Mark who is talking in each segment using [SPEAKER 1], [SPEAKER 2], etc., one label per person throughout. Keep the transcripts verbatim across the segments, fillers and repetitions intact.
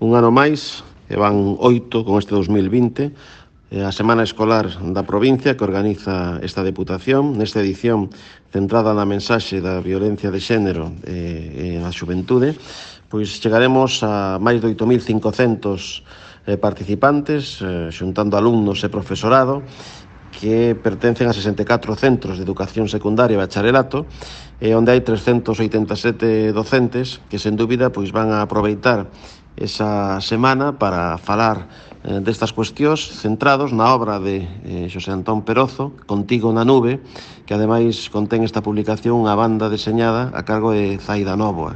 [SPEAKER 1] Un ano máis, e van oito con este dos mil vinte, a Semana Escolar da provincia que organiza esta Deputación, nesta edición centrada na mensaxe da violencia de xénero e na xuventude, pois chegaremos a máis de oito mil cincocentos participantes, xuntando alumnos e profesorado, que pertencen a sesenta e catro centros de educación secundaria e bacharelato, e onde hai trescentos oitenta e sete docentes que, sen dúbida, pois van a aproveitar esa semana para falar eh, destas cuestións centrados na obra de eh, Xosé Antón Perozo, Contigo na nube, que ademais contén esta publicación unha banda deseñada a cargo de Zaida Nóvoa.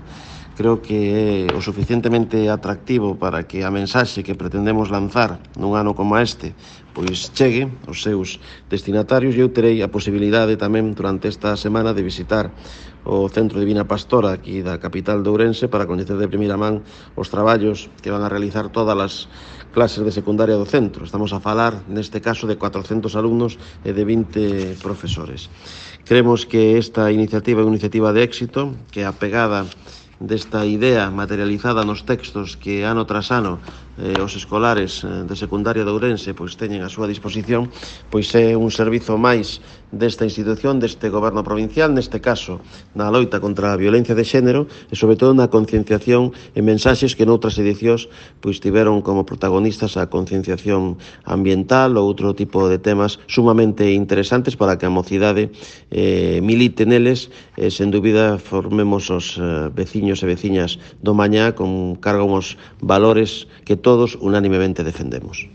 [SPEAKER 1] Creo que é o suficientemente atractivo para que a mensaxe que pretendemos lanzar nun ano como este pois chegue aos seus destinatarios, e eu terei a posibilidade tamén durante esta semana de visitar o Centro Divina Pastora aquí da capital de Ourense para coñecer de primeira man os traballos que van a realizar todas as clases de secundaria do centro. Estamos a falar, neste caso, de cuatrocentos alumnos e de vinte profesores. Creemos que esta iniciativa é unha iniciativa de éxito, que é apegada desta idea materializada nos textos que ano tras ano eh, os escolares de secundaria de Ourense pois teñen a súa disposición, pois é un servizo máis desta institución, deste goberno provincial, neste caso na loita contra a violencia de xénero e sobre todo na concienciación e mensaxes que noutras edicións pois tiveron como protagonistas a concienciación ambiental ou outro tipo de temas sumamente interesantes para que a mocidade eh, milite neles e, sen dúbida, formemos os eh, veciños e veciñas do mañá con cargo aos valores que todos unánimemente defendemos.